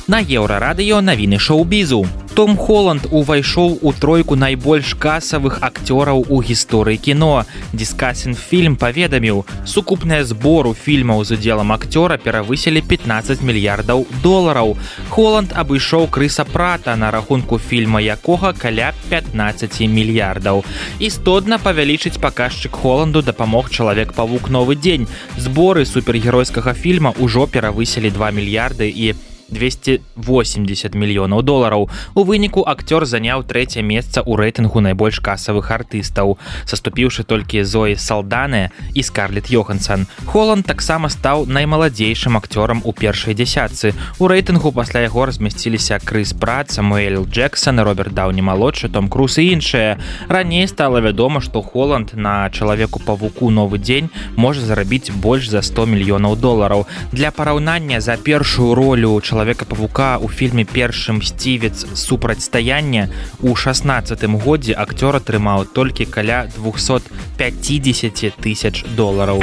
На Еўрарадыё навіны шоу-бізу. Том Холланд увайшоў у тройку найбольш касавых акцёраў у гісторыі кіно. Discussing Film паведаміў, сукупныя збору фільмаў з удзелам акцёра перавысілі 15 мільярдаў долараў. Холланд абышоў Крыса Прата, на рахунку фільма якога каля 15 мільярдаў. Істотна павялічыць паказчык Холланду дапамог Чалавек-павук Новы дзень. Зборы супергеройскага фільма ўжо перавысілі 2 мільярды і 280 мільёнаў долараў. У выніку акцёр заняў 3-е месца ў рэйтынгу найбольш касавых артыстаў, саступіўшы толькі Зоі Салдане і Скарлетт Йоханссон. Холланд таксама стаў наймаладзейшым акцёрам у першай дзясятцы. У рэйтынгу пасля яго размясціліся Крыс Прат, Самуэль Джексон, Роберт Даўні-малодшы, Том Круз і іншыя. Раней стала вядома, што Холланд на Чалавеку-павуку Новы дзень можа зарабіць больш за 100 мільёнаў долараў. Для параўнання, за першую ролю Чалавека-павука у фільме «Першы мсцівец. Супрацьстаянне» у 16-м годзе акцёр атрымаў толькі каля 250 тысяч долараў.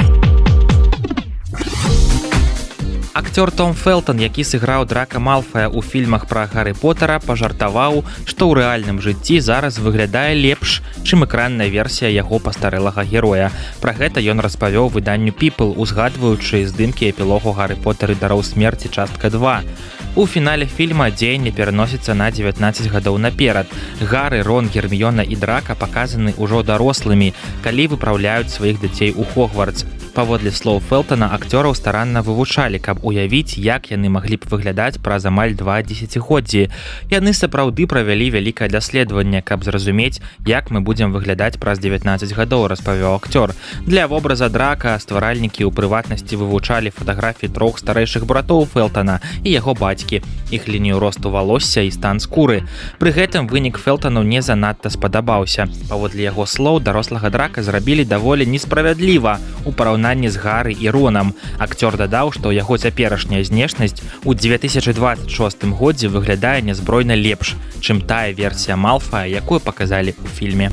Акцёр Том Фелтон, які сыграў Драка Малфая ў фільмах пра Гарры Поттера, пажартаваў, што ў рэальным жыцці зараз выглядае лепш, чым экранная версія яго пастарэлага героя. Пра гэта ён распавёў выданню People, узгадваючы здымкі эпілогу Гарры Поттер і дароў смерці частка 2. У фінале фільма дзеянне пераносіцца на 19 гадоў наперад. Гары, Рон, Герміёна і Драка паказаны ўжо дарослымі, калі выпраўляюць сваіх дзяцей у Хогвартс. Паводле слоў Фелтона, акцёраў старанна вывучалі, каб уявіць, як яны маглі б выглядаць праз амаль 2 дзесяцігоддзі. Яны сапраўды правялі вялікае даследаванне, каб зразумець, як мы будзем выглядаць праз 19 гадоў, распавёў акцёр. Для вобраза Драка стваральнікі ў прыватнасці вывучалі фатаграфіі 3 старэйшых братоў Фелтона і яго бацькі, іх лінію росту валосся і стан скуры. Пры гэтым вынік Фелтону не занадта спадабаўся. Паводле яго слоў, дарослага Драка зрабілі даволі несправядліва у параўнанні з Гары і Ронам. Акцёр дадаў, што яго цяперашняя знешнасць у 2026 годзе выглядае нязбройна лепш, чым тая версія Малфая, якую паказалі ў фільме.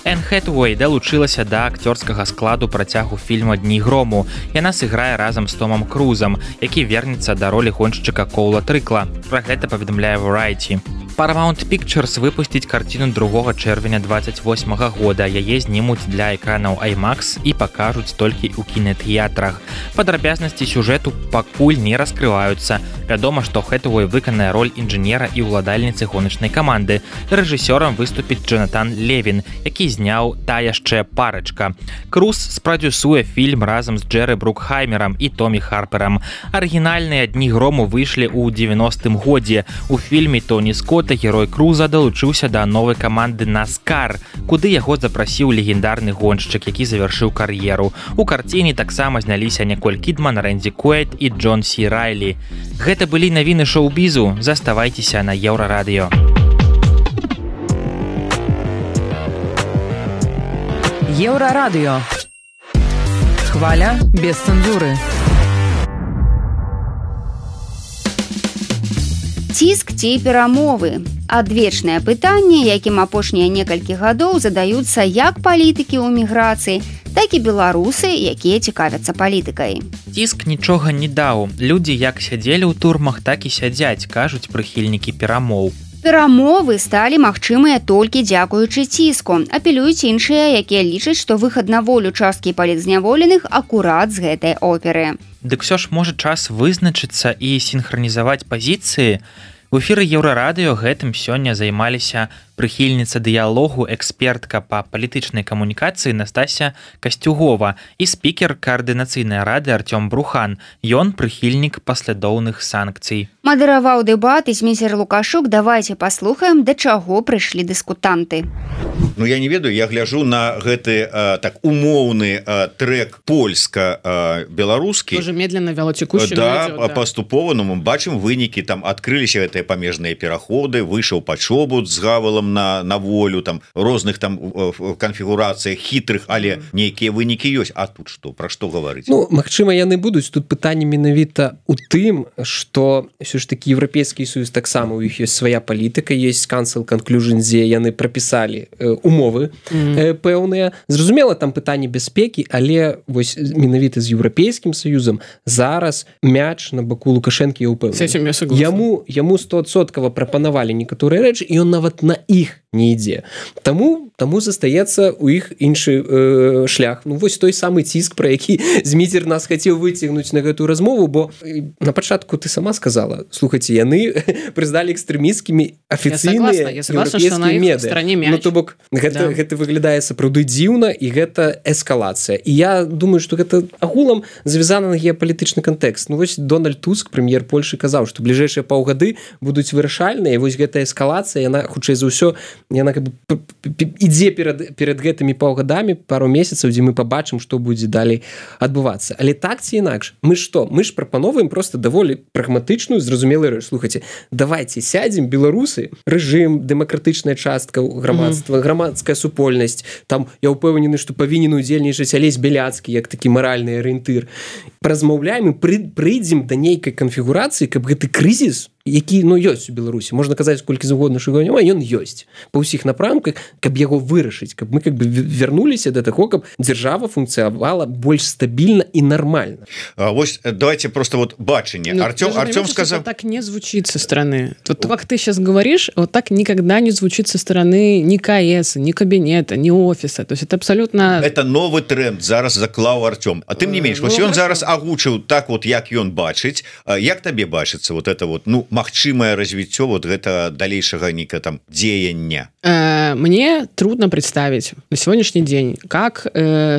Энн Хэтэуэй далучылася да акцёрскага складу працягу фільма «Дні грому». Яна сыграе разам з Томам Крузам, які вернецца да ролі гоншчыка Коула Трыкла. Пра гэта паведамляе Variety. Paramount Pictures выпусціць карціну 2 чэрвеня 28 года. Яе знімуць для экранаў IMAX і пакажуць толькі ў кінатэатрах. Падрабязнасці сюжэту пакуль не раскрываюцца. Вядома, што Хэтэуэй выканае роль інжынера і ўладальніцы гоначнай каманды. Рэжысёрам выступіць Джонатан Левін, які зняў «Та яшчэ парачка». Круз спрадзюсуе фільм разам з Джэры Брукхаймерам і Томі Харперам. Арыгінальныя «Дні грому» выйшлі ў 90-м годзе. У фільме Тоні Скотта герой Круза далучыўся да новай каманды NASCAR, куды яго запрасіў легендарны гоншчык, які завяршыў кар'еру. У карціне таксама зняліся Ніколь Кідман, Рэндзі Куэйт і Джон Сі Райлі. Гэта былі навіны шоу-бізу. Заставайцеся на Еўрарадыё. Еўрарадыё. Хваля без цэнзуры. Ціск ці перамовы. Адвечнае пытанне, якім апошнія некалькі гадоў задаюцца як палітыкі ў міграцыі, так і беларусы, якія цікавяцца палітыкай. Ціск нічога не даў. Людзі як сядзелі ў турмах, так і сядзяць, кажуць прыхільнікі перамоў. Перамовы сталі магчымыя толькі дзякуючы ціску. Апелююць іншыя, якія лічаць, што выхад на волю часткі палітзняволеных акурат з гэтай оперы. Дык усё ж можа час вызначыцца і сінхранізаваць пазіцыі. У эфіры Еўрарадыё гэтым сёння займаліся прыхільніца дыялогу, экспертка па палітычнай камунікацыі Настасья Касцюгова і спікер каардынацыйнай рады Артём Брухан. Ён прыхільнік паслядоўных санкцый. Мадэраваў дэбат і змейстер Лукашук. Давайте паслухаем, да чаго прыйшлі дыскутанты. Ну я не ведаю, я гляжу на гэты так умоўны трек польска-беларускі. Тоже медленно вялотекущий. Да, паступова, ну мы бачым вынікі, там адкрыліся гэтыя памежныя пераходы, выйшаў пачобут з гавалам на волю, там розных там канфігурацыях хітрых, але нейкія вынікі ёсць. А тут што, пра што гаварыць? Ну, магчыма, яны будуць. Тут пытанне менавіта у тым, што ўсё ж такі Еўрапейскі Союз таксама, у іх ёсць свая палітыка, ёсць Council Conclusion, дзе яны прапісалі умовы пэўныя. Зразумела, там пытанне бяспекі, але вось менавіта з Еўрапейскім Саюзам зараз мяч на баку Лукашэнкі, я ўпэўнены. Яму 100% прапанавалі некаторыя рэчы, і ён нават на іх не ідзе. Таму застаецца у іх іншы шлях. Ну вось той самы ціск, пра які Зміцер нас хацеў выцягнуць на гэтую размову, бо на пачатку ты сама сказала, слухайце, яны прызналі экстрэмісцкімі афіцыйныя еўрапейскія меды. Ну то бок гэта выглядае сапраўды дзіўна, і гэта эскалацыя. І я думаю, што гэта агулам завязана на геапалітычны кантэкст. Ну вось Дональд Туск, прэм'ер Польшы, казаў, што бліжэйшыя паўгады будуць вырашальныя, і вось гэтая эскалацыя, яна хутчэй за ўсё, яна как бы ідзе перад гэтымі паўгадамі, пару месяцаў, дзе мы пабачым, што будзе далей адбывацца. Але так ці інакш, мы што? Мы ж прапановваем просто даволі прагматычную, зразумелую рэч. Слухайце, давайте сядзем, беларусы, рэжым, дэмакратычная частка грамадства, грамадская супольнасць, там я ўпэўнены, што павінен удзельнічаць Алесь Бяляцкі як такі маральны арыентыр. Празмаўляем і прыйдзем да нейкай канфігурацыі, каб гэты крызіс, які, ну, ёсць у Беларусі, можна казаць колькі заўгодна, што няма, ён ёсць па ўсіх напрамках, каб яго вырашыць, каб мы как бы вярнуліся да таго, каб дзяржава функцыявала больш стабільна і нармальна. Вось давайте просто вот бачанне. Артём сказал... Так не звучит со стороны. Вот как ты сейчас говоришь, вот так никогда не звучит со стороны ни КС, ни кабинета, ни офиса. То есть это абсолютно... Это новый тренд зараз заклаў Артём. А тым не менш, вось ён зараз агучыў так вот, як ён бачыць. Як табе бачыцца вот это вот, ну, магчымае развіццё вот гэта далейшага нейка там дзеяння? Мне трудно представить на сегодняшний день, как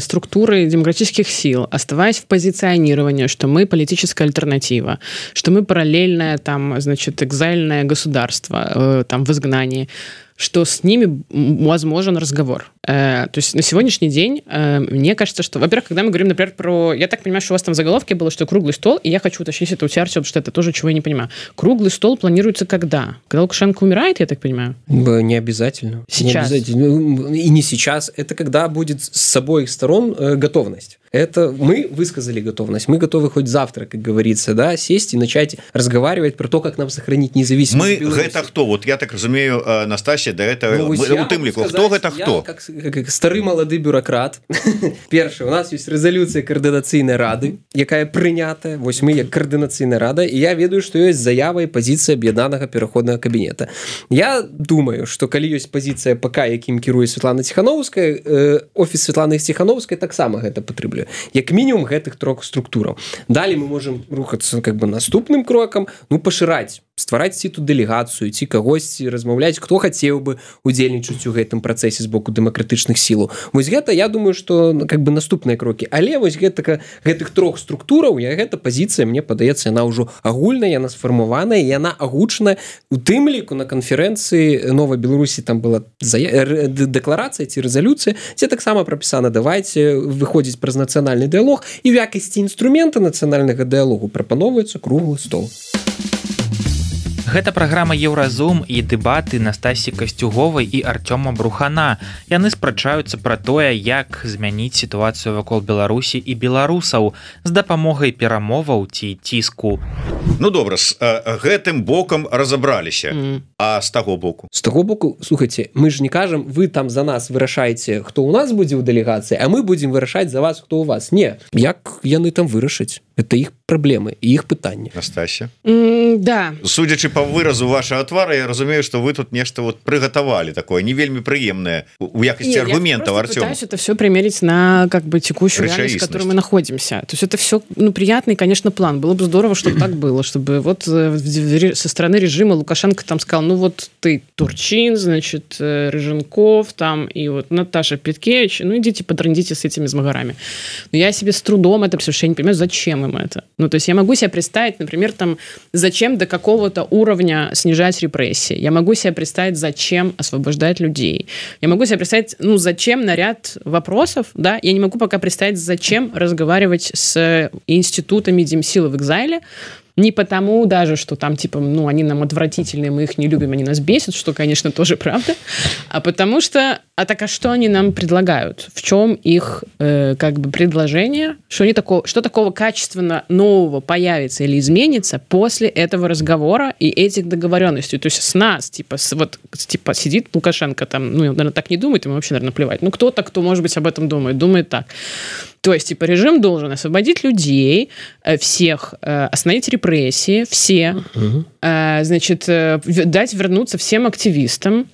структуры демократических сил, оставаясь в позиционировании, что мы политическая альтернатива, что мы параллельное там, значит, экзайльное государство там в изгнании, что с ними возможен разговор. То есть на сегодняшний день мне кажется, что, во-первых, когда мы говорим, например, про... Я так понимаю, что у вас там в заголовке было, что круглый стол, и я хочу уточнить это у тебя, Артём, потому что это тоже, чего я не понимаю. Круглый стол планируется когда? Когда Лукашенко умирает, я так понимаю? Не обязательно. Сейчас? Не обязательно. И не сейчас. Это когда будет с обоих сторон готовность. Это мы высказали готовность. Мы готовы хоть завтра, как говорится, да, сесть и начать разговаривать про то, как нам сохранить независимость. Мы это кто? Вот я так разумею, Настасья, да, это у тым ліку. Кто это кто? Как стары малады бюрократ. Першае, у нас есть резолюция координацыйнай рады, якая прынятая. Вось мы як координацыйная рада, і я ведаю, што ёсць заява і пазіцыя аб'яднанага пераходнага кабінета. Я думаю, што калі ёсць пазіцыя ПК, якім кіруе Светлана Ціхановская, офіс Светланы Ціхановскай таксама гэта патрабуе. Як мінімум гэтых трох структураў. Далей мы можам рухацца как бы наступным крокам, ну пашыраць, ствараць ці тут дэлегацыю, ці кагосьці размаўляць, хто хацеў бы удзельнічаць у гэтым працэсе з боку дэмакратычных сілаў. Вось гэта, я думаю, што как бы наступныя крокі. Але вось гэтых трох структураў, гэта пазіцыя, мне падаецца, яна ўжо агульная, яна сфармаваная, яна агучана у тым ліку на канферэнцыі Новай Беларусі, там была дэкларацыя ці рэзалюцыя, дзе таксама прапісана, давайце выходзіць праз нацыянальны дыялог, і ў якасці інструмента нацыянальнага дыялогу прапаноўваецца круглы стол. Гэта праграма Еўразум і дэбаты Настасі Касцюговай і Артёма Брухана. Яны спрачаюцца пра тое, як змяніць сітуацыю вакол Беларусі і беларусаў з дапамогай перамоваў ці ціску. Ну добра, з гэтым бокам разабраліся. А з таго боку? З таго боку, слухайце, мы ж не кажам, вы там за нас вырашаеце, хто ў нас будзе ў дэлегацыі, а мы будзем вырашаць за вас, хто ў вас. Не, як яны там вырашаць. это іх праблемы і іх пытанні. Настасья, да, судзячы по выразу вашего твара, я разумею, что вы тут нешта вот приготовали такое не вельмі прыемное у якасці аргументов. Артём, пытаюсь это все примерить на как бы текущую реальность, в которой мы находимся. То есть это все, ну, приятный, конечно, план. Было бы здорово, чтобы так было, чтобы вот со стороны режима Лукашенко там сказал, ну вот ты Турчин, значит, Рыженков там и вот Наташа Петкевич, ну идите подрандите с этими змагарами. Но я себе с трудом это все, я не понимаю, зачем им это. Ну, то есть я могу себе представить, например, там, зачем до какого-то уровня снижать репрессии. Я могу себе представить, зачем освобождать людей. Я могу себе представить, ну, зачем на ряд вопросов, да. Я не могу пока представить, зачем разговаривать с институтами Демсила в экзайле. Не потому даже, что там, типа, ну, они нам отвратительные, мы их не любим, они нас бесят, что, конечно, тоже правда, а потому что, а что они нам предлагают? В чем их, как бы, предложение? Что такого качественно нового появится или изменится после этого разговора и этих договоренностей? То есть с нас, типа, сидит Лукашенко там, ну, наверное, так не думает, ему вообще, наверное, плевать. Ну, кто-то, кто, может быть, об этом думает так. То есть, типа, режим должен освободить людей, всех, остановить репрессии, все, значит, дать вернуться всем активистам,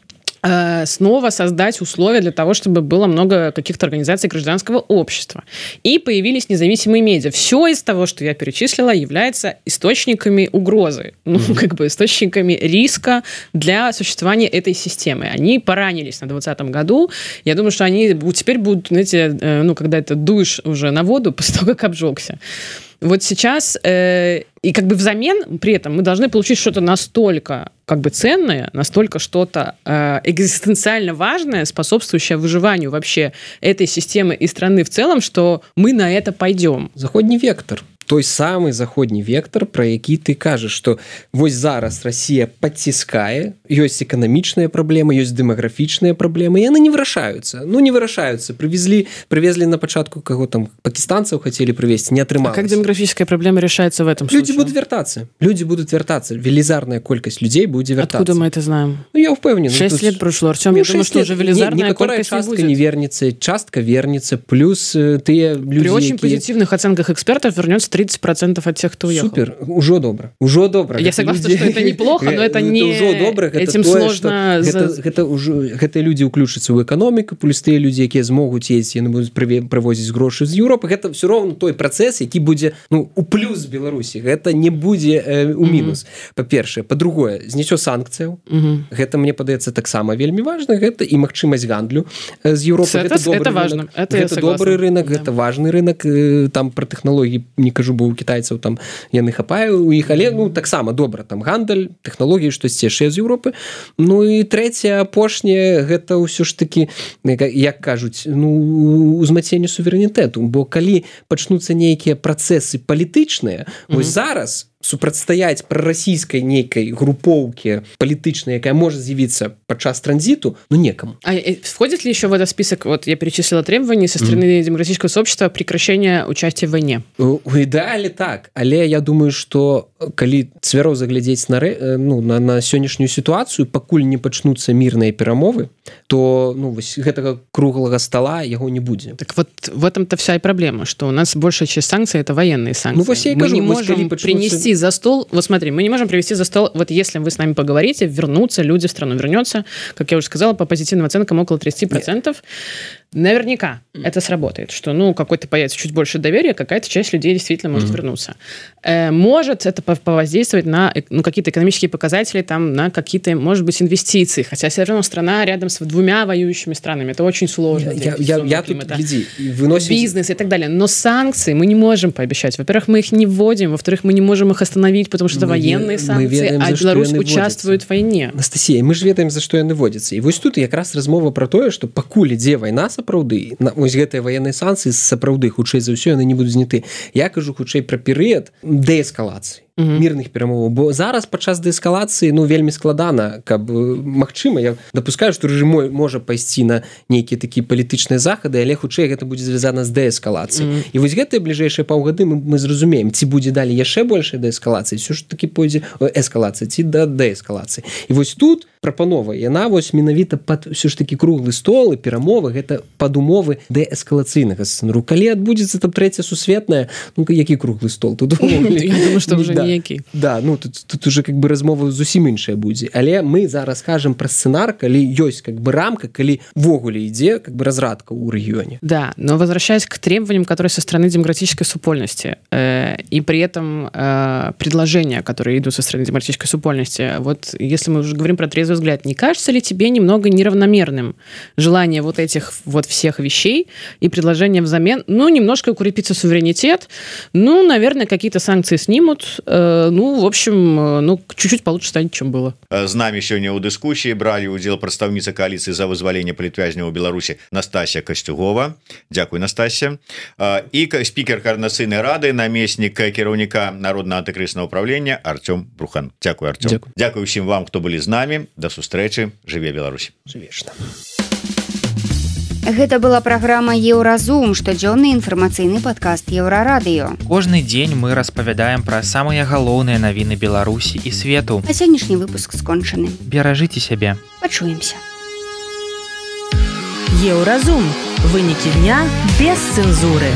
снова создать условия для того, чтобы было много каких-то организаций гражданского общества. И появились независимые медиа. Все из того, что я перечислила, является источниками угрозы, ну, как бы источниками риска для существования этой системы. Они поранились на 2020 году. Я думаю, что они теперь будут, знаете, ну, когда это дуешь уже на воду после того, как обжегся. Вот сейчас, и как бы взамен при этом мы должны получить что-то настолько как бы ценное, настолько что-то экзистенциально важное, способствующее выживанию вообще этой системы и страны в целом, что мы на это пойдем. Заходний вектор. Той самы заходні вектор, про які ты кажаш, што вось зараз Россия подціскае, ёсць эканамічныя праблемы, ёсць дэмаграфічныя праблемы, яны не вырашаюцца. Ну, не вырашаюцца. Привезли на пачатку, каго там пакистанцаў хотели привезти, не атрымалася. А как демографическая проблема решается в этом случае? Люди будут вертаться. Велизарная колькость людей будет вертаться. Откуда мы это знаем? Ну, я уверен. 6 лет прошло, Артём, я думаю, что уже велизарная колькость не будет. Не вернется, частка вернется, плюс тыя люди... При очень позитивных оценках экспертов вернется 30% от тех, кто уехал. Супер, уже добра. Я согласна, что это неплохо, но это не... Этим сложно... Гэтыя люди ўключацца ў эканоміку, плюс тыя люди, якія змогуць ездзіць, яны будуць прывозіць грошы з Еўропы. Гэта все роўна той працэс, які будзе, ну, у плюс Беларусі. Гэта не будзе у мінус. Па-першае. Па-другое, зняццё санкцыяў. Гэта, мне падаецца, таксама вельмі важна. Гэта і магчымасць гандлю з Еўропы. Это важно. Гэта добры рынок, гэта важны рынок. Там пра тэхналогіі не кажу, бо у кітайцаў там яны хапае у іх, але ну таксама добра, там гандаль, тэхналогіі, штосьці яшчэ з Еўропы. Ну і трэцяе, апошняе, гэта ўсё ж такі, як кажуць, ну, узмацненне суверэнітэту, бо калі пачнуцца нейкія працэсы палітычныя, вось зараз супрацьстаяць прарасійскай нейкай групоўкі палітычнай, якая можа з'явіцца падчас транзиту, ну некому. А входит ли еще в этот список, вот я перечислила требования со стороны демократического сообщества прекращения участия в войне? У ідэале так, але я думаю, что калі цвяроза заглядзець на сённяшнюю ситуацию, пакуль не пачнуцца мірныя перамовы, то ну вось гэтага круглага стола яго не будзе. Так вот в этом-то вся и проблема, что у нас большая часть санкций это военные санкции. Ну, вось я мы не можем принести за стол, вот смотри, мы не можем привести за стол, вот если вы с нами поговорите, вернутся люди в страну, вернется, как я уже сказала, по позитивным оценкам около 30%. Наверняка это сработает, что, ну, какой-то появится чуть больше доверия, какая-то часть людей действительно может вернуться. Может это повоздействовать на, ну, какие-то экономические показатели, там, на какие-то, может быть, инвестиции, хотя все равно страна рядом с двумя воюющими странами, это очень сложно. Я тут, гляди, выносим... Бизнес и так далее, но санкции мы не можем пообещать. Во-первых, мы их не вводим, во-вторых, мы не можем их остановить, потому что это военные санкции, ведаем, а Беларусь участвует в войне. Анастасия, мы же ведаем, за что яны вводятся. И вот тут якраз размова про то, что пакуль ідзе война сапраўды, вось гэтыя военные санкции сапраўды хутчэй за ўсё яны не будуць зняты. Я кажу хутчэй про перыяд дээскалацыі. мірных перамоваў, бо зараз падчас дээскалацыі вельмі складана, каб магчыма, я дапускаю, што рэжым можа пайсці на нейкія такія палітычныя захады, але хутчэй гэта будзе звязана з дээскалацыяй. І вось гэтыя бліжэйшыя паўгады мы зразумеем, ці будзе далі яшчэ большая дээскалацыя, ўсё ж такі пойдзе эскалацыя, ці да дээскалацыі. І вось тут прапанова, яна вось менавіта пад ўсё ж такі круглы стол і перамовы, гэта пад умовы дээскалацыйнага сцэнару. Калі адбудзецца там трэця сусветная, які круглы стол? Тут я думаю, што ўжо ніякі. Да, тут уже как бы размова зусім іншая будзе. Але мы зараз кажам пра сцэнар, калі ёсць как бы рамка, калі ввогуле ідзе как бы разрадка ў рэгіёне. Да, но возвращаясь к требованиям, которые со стороны демократической супольности, и при этом предложения, которые идут со стороны демократической супольности, вот если мы уже говорим про трезвый взгляд, не кажется ли тебе немного неравномерным желание вот этих вот всех вещей и предложения взамен, немножко укрепится суверенитет, наверное, какие-то санкции снимут, в общем, чуть-чуть получше станет, чем было. З намі сёння ў дыскусіі бралі ўдзел прадстаўніца кааліцыі за вызваленне палітвязняў у Беларусі Настасья Касцюгова. Дзякуй, Настасья. І спікер Координацыйнай рады, намеснік кіраўніка Народнага антыкрызнага ўправлення Артём Брухан. Дзякуй, Артём. Дзякуй усім вам, хто былі з намі. Да сустрэчы. Жыве Беларусь. Жывешна. Гэта была праграма «Еўразум», штодзённы інфармацыйны падкаст Еўрарадыё. Кожны дзень мы распавядаем пра самыя галоўныя навіны Беларусі і свету. А сённяшні выпуск скончаны. Беражыце сябе. Пачуемся. Еўразум. Вынікі дня без цэнзуры.